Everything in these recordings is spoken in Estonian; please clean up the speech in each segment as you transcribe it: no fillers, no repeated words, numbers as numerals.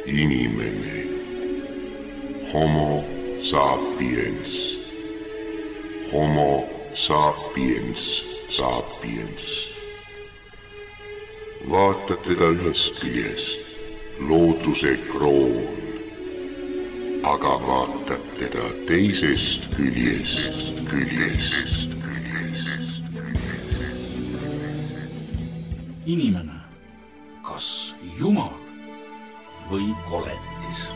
Inimene. Homo sapiens. Homo sapiens sapiens. Vaatad teda ühest küljest, looduse kroon, aga vaatad teda teisest küljest. Inimene, kas Jumal või koletis?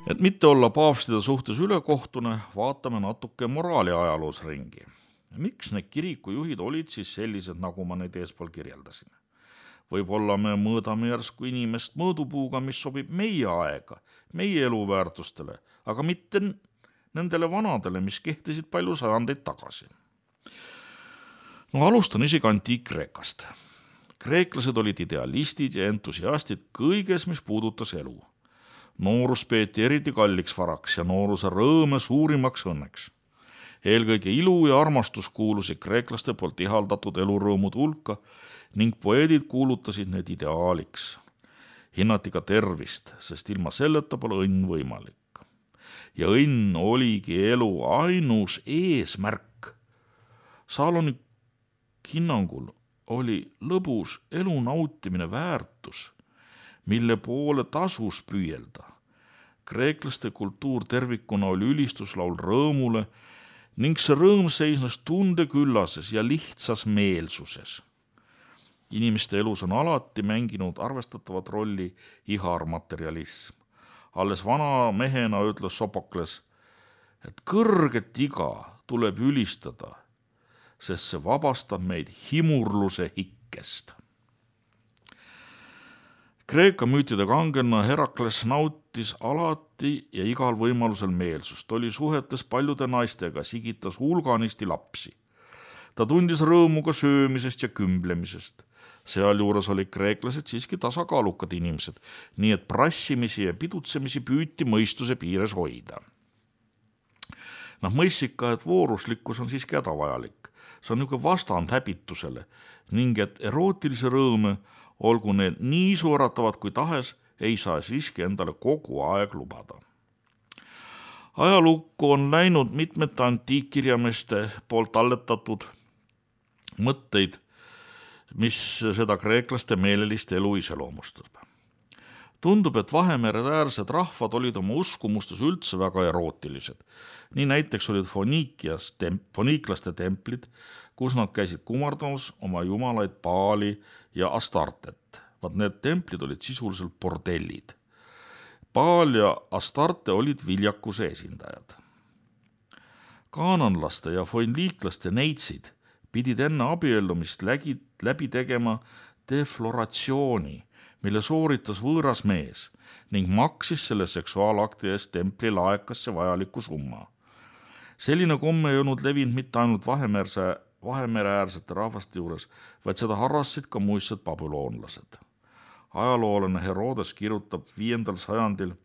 Et mitte olla paavstide suhtes ülekohtune, vaatame natuke moraali ajaloos ringi. Miks need kirikujuhid olid siis sellised, nagu ma neid eespool kirjeldasin? Võib-olla me mõõdame järsku inimest mõõdupuuga, mis sobib meie aega, meie eluväärtustele, aga mitte nendele vanadele, mis kehtisid palju sajandeid tagasi. Alustan isegi Antiik-Kreekast. Kreeklased olid idealistid ja entusiastid kõiges, mis puudutas elu. Noorus peeti eriti kalliks varaks ja nooruse rõõme suurimaks õnneks. Eelkõige ilu ja armastus kuulusid kreeklaste poolt ihaldatud elurõõmud hulka ning poeedid kuulutasid need ideaaliks. Hinnati ka tervist, sest ilma selleta pole õnn võimalik. Ja õnn oligi elu ainus eesmärk. Saaloni hinnangul oli lõbus elu nautimine väärtus, mille poole tasus püüelda. Kreeklaste kultuur tervikuna oli ülistuslaul rõõmule ning see rõõm seisnes tundeküllases ja lihtsas meelsuses. Inimeste elus on alati mänginud arvestatavat rolli iharmaterialism. Alles vana mehena ütles Sopokles, et kõrget iga tuleb ülistada, sest see vabastab meid himurluse hikkest. Kreeka müütide kangena Herakles nautis alati ja igal võimalusel meelsust, oli suhetes paljude naistega, sigitas hulganisti lapsi. Ta tundis rõõmu ka söömisest ja kümblemisest. Sealjuures olid kreeklased siiski tasakaalukad inimesed, nii et prassimisi ja pidutsemisi püüti mõistuse piires hoida. Mõistlik ka, et vooruslikkus on siiski hädavajalik. See on niisugune vastand häbitusele ning et erootilise rõõme, olgu need nii suuratavad kui tahes, ei saa siiski endale kogu aeg lubada. Ajalukku on läinud mitmete antiikkirjameeste poolt talletatud mõtteid, mis seda kreeklaste meelelist elu iseloomustab. Tundub, et Vahemereäärsed rahvad olid oma uskumustes üldse väga erootilised. Nii näiteks olid foniiklaste templid, kus nad käisid kumardamas oma jumalaid Baali ja Astartet. Need templid olid sisuliselt bordellid. Baal ja Astarte olid viljakuse esindajad. Kaananlaste ja foniiklaste neitsid pidid enne abiellumist läbi tegema defloratsiooni, mille sooritas võõras mees ning maksis selle seksuaalakti eest templi laekasse vajaliku summa. Selline komme ei olnud levinud mitte ainult Vahemereäärsete rahvaste juures, vaid seda harrasid ka muistsed babüloonlased. Ajaloolane Herodes kirjutab 5. sajandil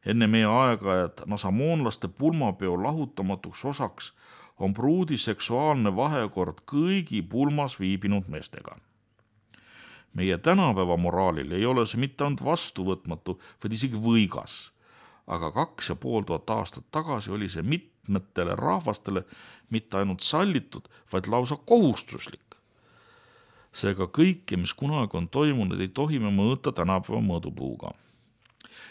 enne meie aega, et nasamoonlaste pulmapeo lahutamatuks osaks on pruudi seksuaalne vahekord kõigi pulmas viibinud meestega. Meie tänapäeva moraalil ei ole see mitte ainult vastuvõtmatu, vaid isegi võigas. Aga 2500 aastat tagasi oli see mitmetele rahvastele mitte ainult sallitud, vaid lausa kohustuslik. Seega kõike, mis kunagi on toimunud, ei tohi me mõõta tänapäeva mõõdupuuga.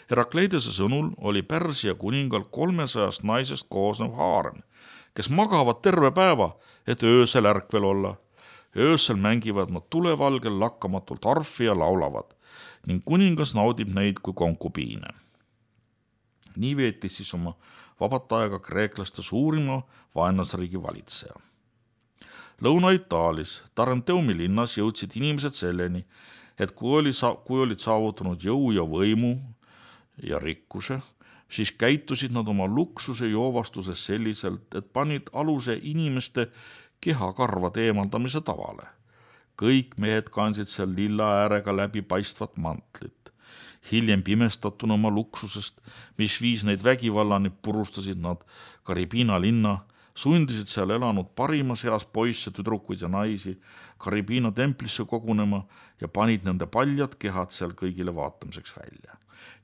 Herakleidese sõnul oli Pärsia kuningal 300 naisest koosnev haarem, kes magavad terve päeva, et öösel ärkvel olla. Öösel mängivad nad tulevalgel lakkamatult arfi ja laulavad ning kuningas naudib neid kui konkubiine. Nii veetis siis oma vabat aega kreeklaste suurima vaenlasriigi valitseja. Lõuna-Itaalis Taranteumi linnas jõudsid inimesed selleni, et kui olid saavutanud jõu ja võimu ja rikkuse, siis käitusid nad oma luksuse joovastuses selliselt, et panid aluse inimeste kehakarvade eemaldamise tavale. kõik mehed kandsid seal lilla äärega läbipaistvat mantlit. Hiljem pimestatuna oma luksusest, mis viis neid vägivallani, purustasid nad Caribina linna, sundisid seal elanud parimas eas poisse, tüdrukuid ja naisi Caribina templisse kogunema ja panid nende paljad kehad seal kõigile vaatamiseks välja.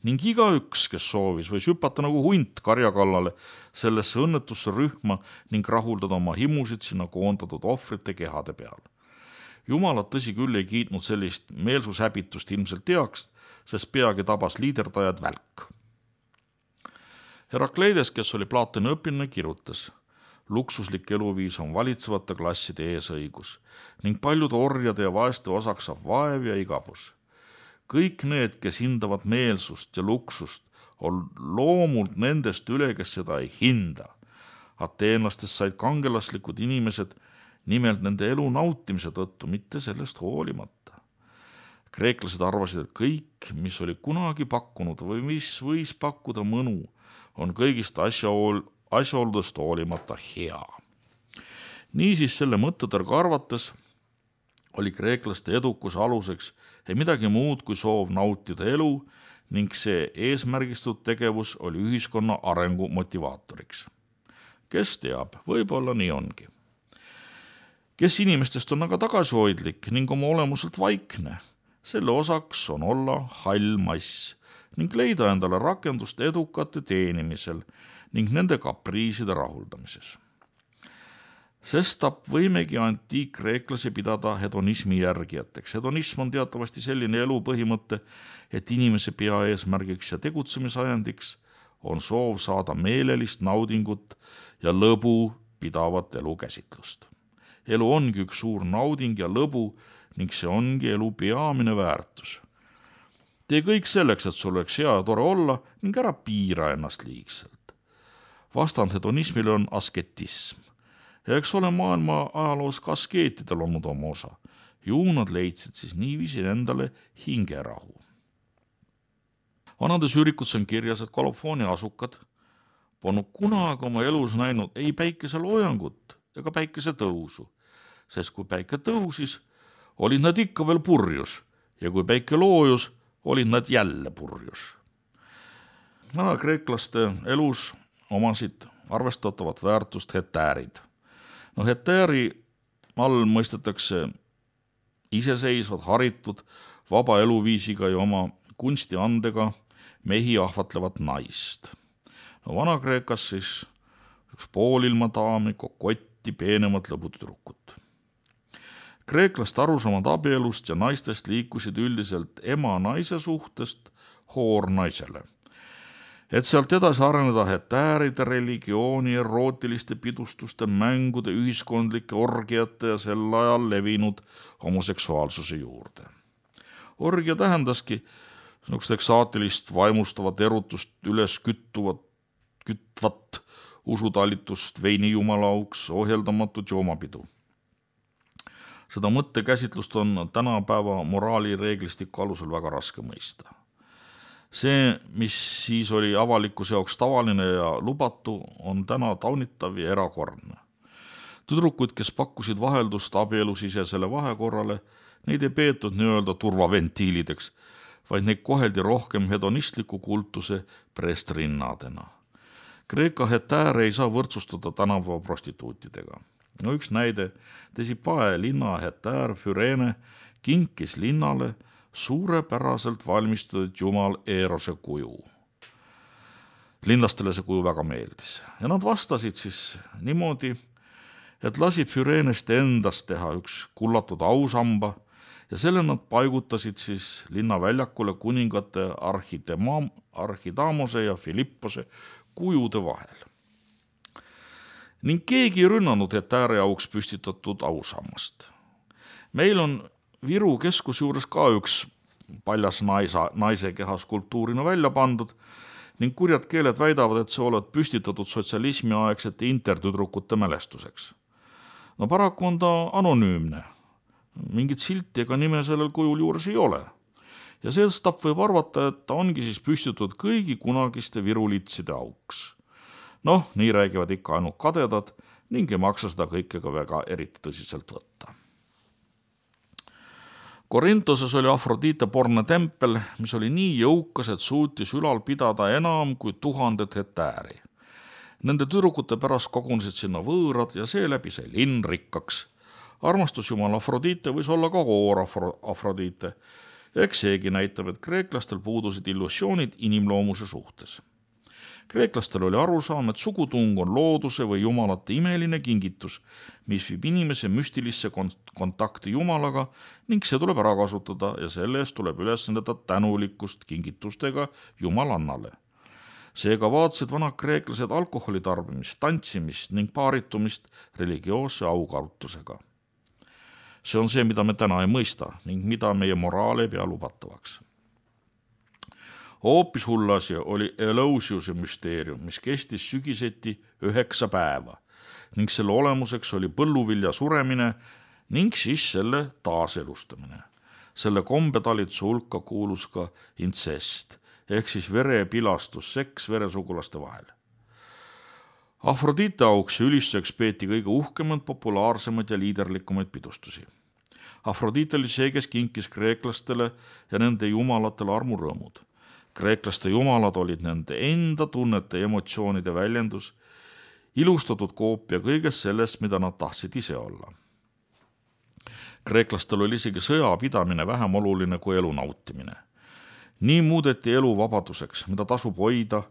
Ning igaüks, kes soovis, võis hüpata nagu hunt karja kallale sellesse õnnetusse rühma ning rahuldada oma himusid sinna koondatud ohvrite kehade peal. Jumalad tõsi küll ei kiitnud sellist meelsushäbitust ilmselt teaks, sest peagi tabas liiderdajad välk. Herakleides, kes oli Platoni õpilane, kirjutas: luksuslik eluviis on valitsevate klasside eesõigus ning paljude orjade ja vaeste osaks saab vaev ja igavus. Kõik need, kes hindavad meelsust ja luksust, on loomult nendest üle, kes seda ei hinda. Ateenlastest said kangelaslikud inimesed nimelt nende elu nautimise tõttu, mitte sellest hoolimata. Kreeklased arvasid, et kõik, mis oli kunagi pakkunud või mis võis pakkuda mõnu, on kõigist asjaoludest hoolimata hea. Niisiis selle mõttetõrga arvates oli kreeklaste edukuse aluseks ei midagi muud kui soov nautida elu ning see eesmärgistatud tegevus oli ühiskonna arengu motivaatoriks. Kes teab, võib-olla nii ongi. Kes inimestest on aga tagasihoidlik ning oma olemuselt vaikne, selle osaks on olla hall mass ning leida endale rakendust edukate teenimisel ning nende kapriiside rahuldamises. Sestap võimegi antiikkreeklasi pidada hedonismi järgijateks. Hedonism on teatavasti selline elu põhimõte, et inimese peaeesmärgiks ja tegutsemisajendiks on soov saada meelelist naudingut ja lõbu pidavat elukäsitlust. Elu ongi üks suur nauding ja lõbu ning see ongi elu peamine väärtus. Tee kõik selleks, et sul oleks hea ja tore olla ning ära piira ennast liigselt. Vastand hedonismile on asketism. Ja eks ole maailma ajaloos ka askeetidel olnud oma osa. Ju nad leidsid siis niiviisi endale hingerahu. Vanades üürikutes on kirjas, et Kolofooni asukad polnud kunagi oma elus näinud ei päikese loojangut ega päikese tõusu, sest kui päike tõusis, olid nad ikka veel purjus ja kui päike loojus, olid nad jälle purjus. Vana kreeklaste elus omasid arvestatavat väärtust hetäärid. Hetääri all mõistetakse iseseisvad, haritud, vaba eluviisiga ja oma kunstiandega mehi ahvatlevat naist. Vana-Kreekas siis üks poolilma daami, kokotti, peenemat lõbutüdrukut. Kreeklaste arusaamad abielust ja naistest liikusid üldiselt ema-naise suhtest hoornaisele. Et sealt edasi areneda hetääride, religiooni, erootiliste pidustuste, mängude, ühiskondlike orgiate ja sel ajal levinud homoseksuaalsuse juurde. Orgia tähendaski eksaatilist vaimustavat erutust üles kütvat usutalitust, veinijumalaauks, ohjeldamatut joomapidu. Seda mõttekäsitlust on tänapäeva moraalireeglistiku alusel väga raske mõista. See, mis siis oli avalikkuse jaoks tavaline ja lubatu, on täna taunitav ja erakordne. Tüdrukud, kes pakkusid vaheldust abielusisesele vahekorrale, neid ei peetud nii-öelda turvaventiilideks, vaid neid koheldi rohkem hedonistliku kultuse preestrinnadena. Kreeka hetääre ei saa võrdsustada tänapäeva prostituutidega. Üks näide, Tesipae linna hetäär Füreene kinkis linnale suurepäraselt valmistatud jumal Eerose kuju. Linlastele see kuju väga meeldis ja nad vastasid siis niimoodi, et lasid Füreenest endast teha üks kullatud ausamba ja selle nad paigutasid siis linnaväljakule kuningate Archidamose ja Filippose kujude vahel. Ning keegi ei rünnanud hetääre auks püstitatud ausammast. Meil on Viru keskus juures ka üks paljas naise keha skulptuurina välja pandud ning kurjad keeled väidavad, et see oled püstitatud sotsialismi aegsete intertüdrukute mälestuseks. Paraku on ta anonüümne. Mingit silti ega nime sellel kujul juures ei ole. Ja sellest võib arvata, et ta ongi siis püstitatud kõigi kunagiste virulitside auks. Nii räägivad ikka ainult kadedad ning ei maksa seda kõike ka väga eriti tõsiselt võtta. Korintoses oli Afrodite porne tempel, mis oli nii jõukas, et suutis ülal pidada enam kui 1000 hektaari. Nende tüdrukute pärast kogunesid sinna võõrad ja seeläbi sai linn rikkaks. Armastusjumal Afrodite võis olla ka hoor Afrodite. Eks seegi näitab, et kreeklastel puudusid illusioonid inimloomuse suhtes. Kreeklastel oli arusaam, et sugutung on looduse või jumalate imeline kingitus, mis viib inimese müstilisse kontakti jumalaga ning see tuleb ära kasutada ja selle eest tuleb üles näidata tänulikkust kingitustega jumalannale. Seega vaatasid vanad kreeklased alkoholi tarbimist, tantsimist ning paaritumist religioosse aukartusega. See on see, mida me täna ei mõista ning mida meie moraal ei pea lubatavaks. Hoopis hull asi oli Eleusiuse müsteerium, mis kestis sügiseti 9 päeva ning selle olemuseks oli põlluvilja suremine ning siis selle taaselustamine. Selle kombetalituse hulka kuulus ka intsest ehk siis verepilastus, seks veresugulaste vahel. Afrodite auks ja ülistuseks peeti kõige uhkemad, populaarsemaid ja liiderlikumaid pidustusi. Afrodite oli see, kes kinkis kreeklastele ja nende jumalatele armurõõmud. Kreeklaste jumalad olid nende enda tunnete ja emotsioonide väljendus, ilustatud koopia kõigest sellest, mida nad tahtsid ise olla. Kreeklastel oli isegi sõjapidamine vähem oluline kui elu nautimine. Nii muudeti elu vabaduseks, mida tasub hoida,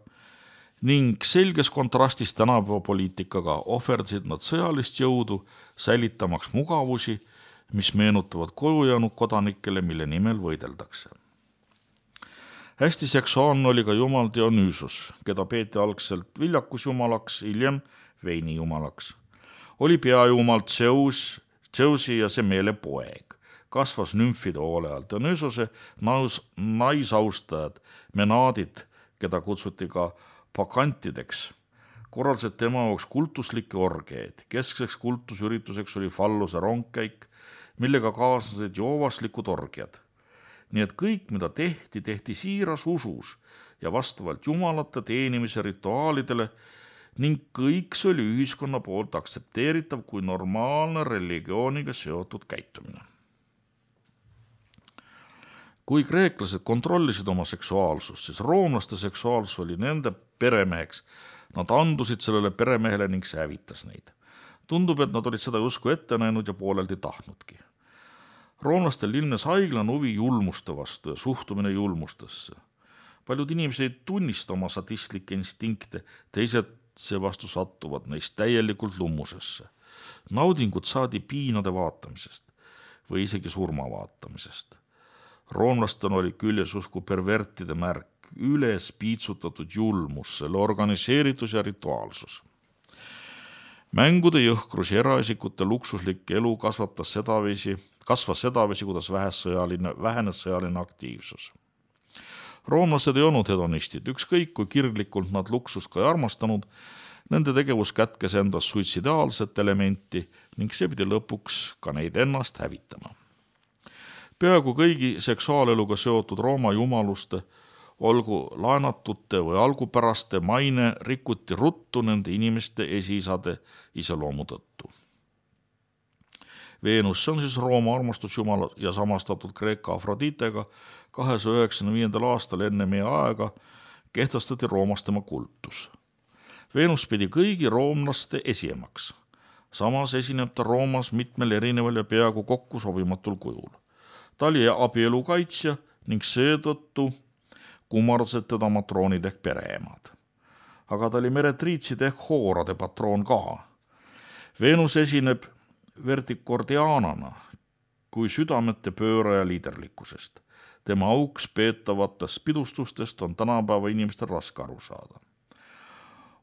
ning selges kontrastis tänapäeva poliitikaga ohverdasid nad sõjalist jõudu, säilitamaks mugavusi, mis meenutavad koju jäänud kodanikele, mille nimel võideldakse. Hästi seksuaalne oli ka jumal Dionysus, keda peeti algselt viljakusjumalaks, hiljem veinijumalaks. Oli peajumal Zeusi ja Semele poeg. Kasvas nümfide hoole all. Dionysuse naisaustajad, menaadid, keda kutsuti ka pakantideks, korraldasid tema jaoks kultuslikke orgeed. Keskseks kultusürituseks oli falluse rongkäik, millega kaasnesid joovaslikud orgiad. Nii et kõik, mida tehti siiras usus ja vastavalt jumalate teenimise rituaalidele ning kõik see oli ühiskonna poolt aktsepteeritav kui normaalne religiooniga seotud käitumine. Kui kreeklased kontrollisid oma seksuaalsust, siis roomlaste seksuaalsus oli nende peremeheks. Nad andusid sellele peremehele ning see hävitas neid. Tundub, et nad olid seda justkui ette näinud ja pooleldi tahtnudki. Roomlastel ilmnes haiglane huvi julmuste vastu ja suhtumine julmustesse. Paljud inimesed ei tunnista oma sadistlikke instinkte, teised seevastu sattuvad neist täielikult lummusesse. Naudingut saadi piinade vaatamisest või isegi surma vaatamisest. Roomlastel oli küljes usku pervertide märk, üles piitsutatud julmus, selle organiseeritus ja rituaalsus. Mängude jõhkrus ja eraisikute luksuslik elu kasvas sedavisi, kuidas vähenes sõjaline aktiivsus. Roomlased ei olnud hedonistid, ükskõik kui kirglikult nad luksust ka ei armastanud, nende tegevus kätkes endas suitsidaalset elementi ning see pidi lõpuks ka neid ennast hävitama. Peaaegu kõigi seksuaaleluga seotud Rooma jumaluste, olgu laenatute või algupäraste maine rikuti ruttu nende inimeste esiisade iseloomu tõttu. Veenus, see on siis Rooma armastusjumala ja samastatud Kreeka Afroditega, 295. aastal enne meie aega kehtestati Roomas tema kultus. Veenus pidi kõigi roomlaste esiemaks. Samas esineb ta Roomas mitmel erineval ja peaaegu kokku sobimatul kujul. Ta oli abielu kaitsja ning seetõttu kummardasid teda matroonid ehk pereemad. Aga ta oli meretriitside ehk hoorade patroon ka. Veenus esineb vertikordiaanana kui südamete pööraja liiderlikkusest. Tema auks peetavatest pidustustest on tänapäeva inimestel raske aru saada.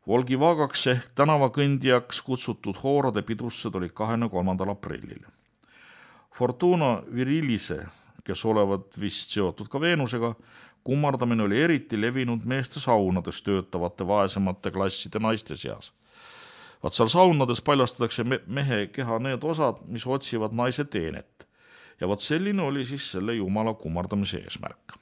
Volgivagaks ehk tänavakõndijaks kutsutud hoorade pidustused olid 23. aprillil. Fortuna Virilise, kes olevat vist seotud ka Veenusega, kummardamine oli eriti levinud meeste saunades töötavate vaesemate klasside naiste seas. Vaat seal saunades paljastatakse mehe keha need osad, mis otsivad naise teenet. Ja vaat selline oli siis selle jumala kummardamise eesmärk.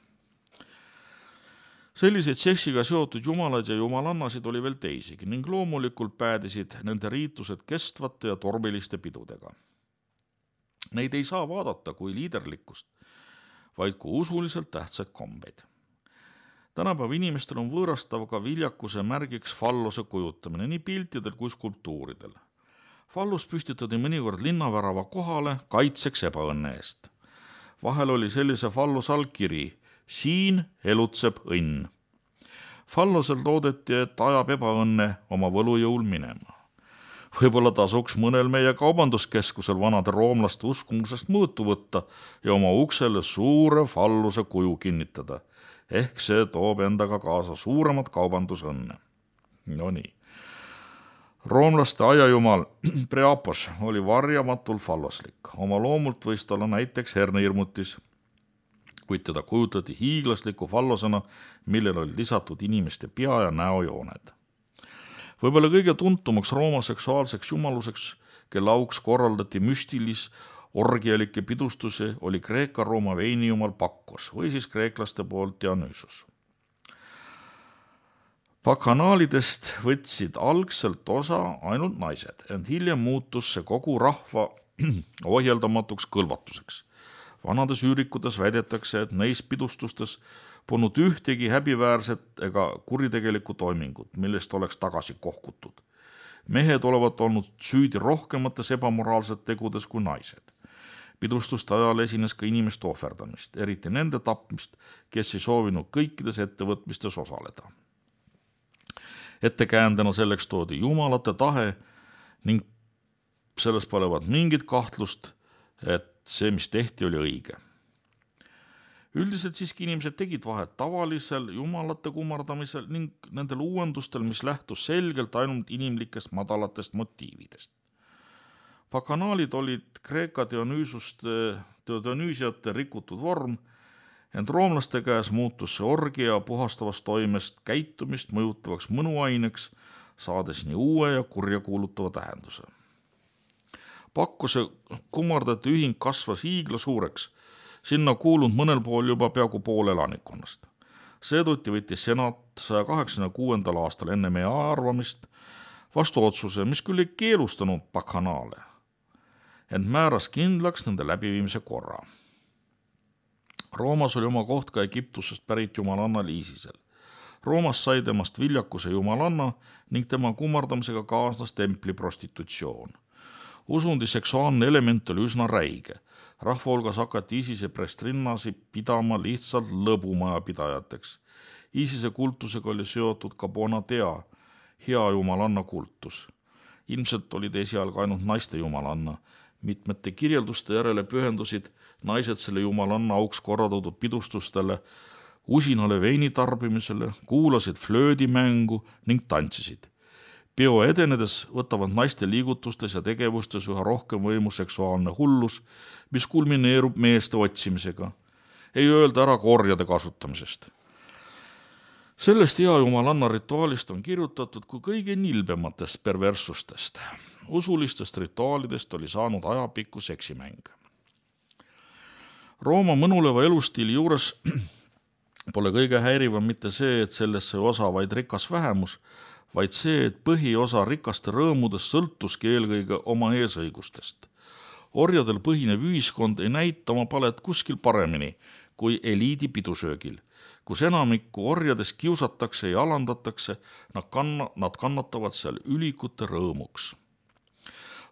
Selliseid seksiga seotud jumalad ja jumalannasid oli veel teisigi ning loomulikult päädisid nende riitused kestvate ja tormiliste pidudega. Neid ei saa vaadata kui liiderlikkust, vaid kui usuliselt tähtsaid kombeid. Tänapäeva inimestel on võõrastav ka viljakuse märgiks fallose kujutamine nii piltidel kui skulptuuridel. Fallus püstitati mõnikord linnavärava kohale kaitseks ebaõnne eest. Vahel oli sellise falluse all kiri: siin elutseb õnn. Fallusel loodeti, et ajab ebaõnne oma võlujõul minema. Võib-olla tasuks mõnel meie kaubanduskeskusel vanade roomlaste uskumusest mõõtu võtta ja oma uksele suure falluse kuju kinnitada. Ehk see toob endaga kaasa suuremat kaubandusõnne. No nii. Roomlaste aiajumal Priapos oli varjamatul falloslik. Oma loomult võis ta olla näiteks hernehirmutis, kuid teda kujutati hiiglasliku fallosena, millel oli lisatud inimeste pea ja näojooned. Võib-olla kõige tuntumaks Rooma seksuaalseks jumaluseks, kelle auks korraldati müstilis orgialike pidustusi, oli Kreeka-Rooma veinijumal Bakkos või siis kreeklaste poolt Dionysus. Bakanaalidest võtsid algselt osa ainult naised, ent hiljem muutus see kogu rahva ohjeldamatuks kõlvatuseks. Vanades üürikutes väidetakse, et neis pidustustes polnud ühtegi häbiväärset ega kuritegelikku toimingut, millest oleks tagasi kohkutud. Mehed olevat olnud süüdi rohkemates ebamoraalset tegudes kui naised. Pidustuste ajal esines ka inimeste ohverdamist, eriti nende tapmist, kes ei soovinud kõikides ettevõtmistes osaleda. Ettekäändena selleks toodi jumalate tahe ning selles polevat mingit kahtlust, et see, mis tehti, oli õige. Üldiselt siiski inimesed tegid vahet tavalisel jumalate kummardamisel ning nendel uuendustel, mis lähtus selgelt ainult inimlikest madalatest motiividest. Bakanaalid olid Kreeka Dionüüsiate rikutud vorm, ent roomlaste käes muutus see orgia puhastavast toimest käitumist mõjutavaks mõnuaineks, saades nii uue ja kurja kuulutava tähenduse. Bakkose kummardate ühing kasvas hiigla suureks, sinna kuulunud mõnel pool juba peaaegu pool elanikkonnast. Seetõttu võttis senat 186. aastal enne meie arvamist vastu otsuse, mis küll ei keelustanud bakanaale, ent määras kindlaks nende läbiviimise korra. Roomas oli oma koht ka Egiptusest pärit jumalanna Iisisel. Roomas sai temast viljakuse jumalanna ning tema kummardamisega kaasnas templi prostitutsioon. Usundi seksuaalne element oli üsna räige. Rahva hulgas hakati Iisise prestrinnasi pidama lihtsalt lõbumaja pidajateks. Iisise kultusega oli seotud ka Bonatea, hea jumalanna kultus. Ilmselt olid esialgu ainult naiste jumalanna. Mitmete kirjelduste järele pühendusid naised selle jumalanna auks korraldatud pidustustele, usinale veini tarbimisele, kuulasid flöödimängu ning tantsisid. Peo edenedes võtavad naiste liigutustes ja tegevustes üha rohkem võimu seksuaalne hullus, mis kulmineerub meeste otsimisega, ei öelda ära korjade kasutamisest. Sellest hea jumalanna rituaalist on kirjutatud kui kõige nilbematest perverssustest. Usulistest rituaalidest oli saanud ajapikku seksimäng. Rooma mõnuleva elustiili juures pole kõige häirivam mitte see, et sellesse osa vaid rikas vähemus, vaid see, et põhiosa rikaste rõõmudest sõltuski eelkõige oma eesõigustest. Orjadel põhinev ühiskond ei näita oma palet kuskil paremini kui eliidi pidusöögil, kus enamikku orjadest kiusatakse ja alandatakse, nad kannatavad seal ülikute rõõmuks.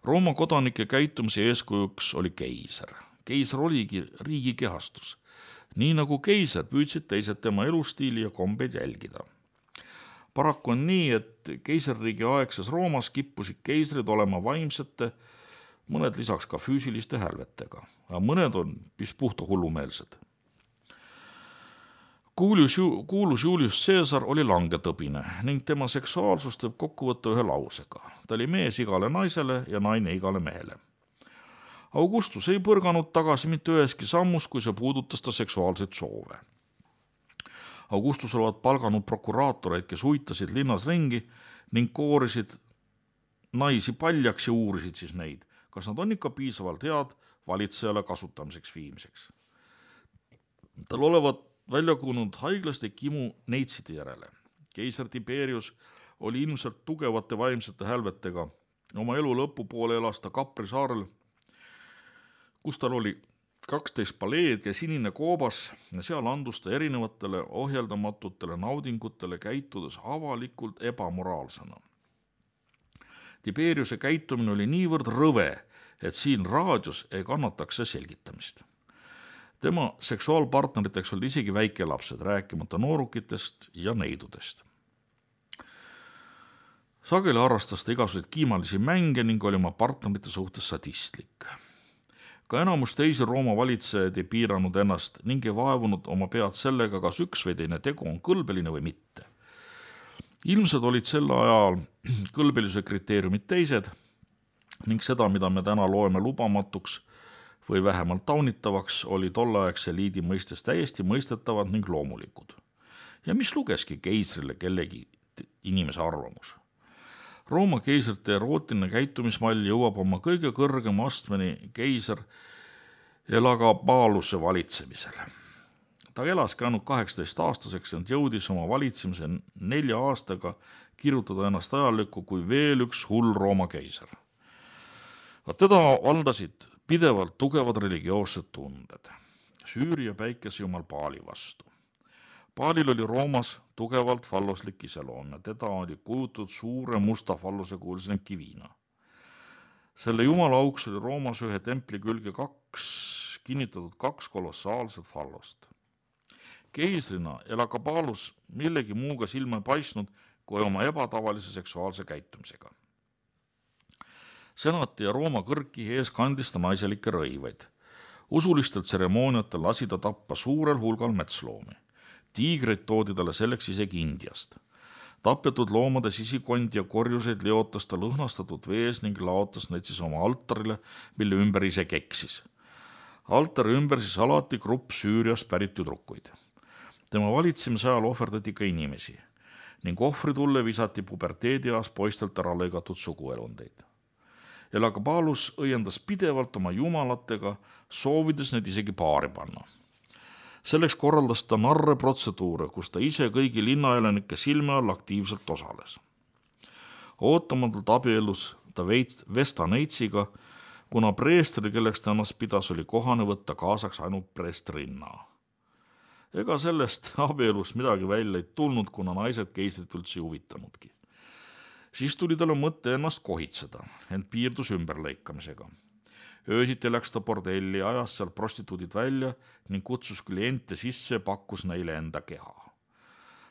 Rooma kodanike käitumise eeskujuks oli keiser. Keiser oligi riigi kehastus. Nii nagu keiser püüdsid teised tema elustiili ja kombeid jälgida. Paraku on nii, et keisririigi aegses Roomas kippusid keisrid olema vaimsete, mõned lisaks ka füüsiliste hälvetega, aga mõned on puhta hullumeelsed. Kuulus Julius Caesar oli langetõbine ning tema seksuaalsust võib kokku võtta ühe lausega. Ta oli mees igale naisele ja naine igale mehele. Augustus ei põrganud tagasi mitte üheski sammus, kui see puudutas ta seksuaalseid soove. Augustus olevat palganud prokuraatoreid, kes huitasid linnas ringi ning koorisid naisi paljaks ja uurisid siis neid, kas nad on ikka piisavalt head valitsejale kasutamiseks viimiseks. Tal olevat välja kujunenud haiglaslik imu neitside järele. Keiser Tiberius oli ilmselt tugevate vaimsete hälvetega. Oma elu lõpupoole elas ta Capri saarel, kus tal oli 12 paleed ja sinine koobas ja seal andus ta erinevatele ohjeldamatutele naudingutele, käitudes avalikult ebamoraalsena. Tiberiuse käitumine oli niivõrd rõve, et siin raadios ei kannataks see selgitamist. Tema seksuaalpartneriteks olid isegi väikelapsed, rääkimata noorukitest ja neidudest. Sageli harrastas ta igasuguseid kiimalisi mänge ning oli oma partnerite suhtes sadistlik. Ka enamus teisi Rooma valitsejaid ei piiranud ennast ning ei vaevunud oma pead sellega, kas üks või teine tegu on kõlbeline või mitte. Ilmsed olid sel ajal kõlbelisuse kriteeriumid teised ning seda, mida me täna loeme lubamatuks või vähemalt taunitavaks, oli tolleaegse eliidi mõistes täiesti mõistetavad ning loomulikud. Ja mis lugeski keisrile kellegi inimese arvamus? Rooma keisrite erootiline käitumismall jõuab oma kõige kõrgema astmeni keiser Elagabaluse valitsemisele. Ta elaski ainult 18-aastaseks ja jõudis oma valitsemise 4 aastaga kirjutada ennast ajalukku kui veel üks hull Rooma keiser. Teda valdasid pidevalt tugevad religioossed tunded Süüria päikesejumal Paali vastu. Paalil oli Roomas tugevalt falloslik iseloom ja teda oli kujutatud suure musta fallose kuulsena kivina. Selle jumala auks oli Roomas ühe templi külge kinnitatud 2 kolossaalset fallost. Keisrina Elagabalus millegi muuga silma paistnud kui oma ebatavalise seksuaalse käitumisega. Senati ja Rooma kõrgkihi ees kandis ta naiselikke rõivaid. Usulistel tseremooniatel lasi ta tappa suurel hulgal metsloomi. Tiigreid toodi talle selleks isegi Indiast. Tapetud loomade sisikond ja korjuseid leotas ta lõhnastatud vees ning laotas neid siis oma altarile, mille ümber ise keksis. Altari ümber siis alati grupp Süüriast pärit tüdrukuid. Tema valitsemise ajal ohverdati ka inimesi ning ohvritulle visati puberteedias poistelt ära lõigatud suguelundeid. Elagabalus õiendas pidevalt oma jumalatega, soovides neid isegi paari panna. Selleks korraldas ta narre protseduure, kus ta ise kõigi linnaelanike silme all aktiivselt osales. Ootamatult abiellus ta Vesta Neitsiga, kuna preestri, kelleks ta ennast pidas, oli kohane võtta kaasaks ainult preestrinna. Ega sellest abielust midagi välja ei tulnud, kuna naised keisrit üldse huvitanudki. Siis tuli talle mõte ennast kohitseda, ent piirdus ümberlõikamisega. Öösiti läks ta bordelli, ajas seal prostituudid välja ning kutsus kliente sisse ja pakkus neile enda keha.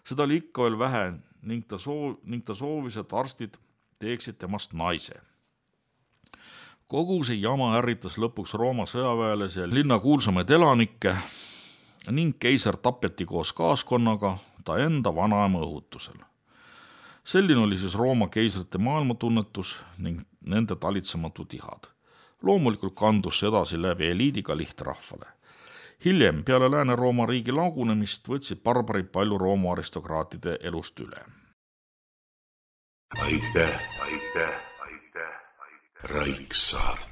Seda oli ikka veel vähe ning ta soovis, et arstid teeksid temast naise. Kogu see jama ärritas lõpuks Rooma sõjaväelasi ja linna kuulsamaid elanikke ning keiser tapeti koos kaaskonnaga ta enda vanaema õhutusel. Selline oli siis Rooma keisrite maailmatunnetus ning nende talitsematud ihad. Loomulikult kandus see edasi läbi eliidiga lihtrahvale. Hiljem, peale Lääne-Rooma riigi lagunemist, võtsid barbarid palju Rooma aristokraatide elust üle. Aitäh, Raiksaart.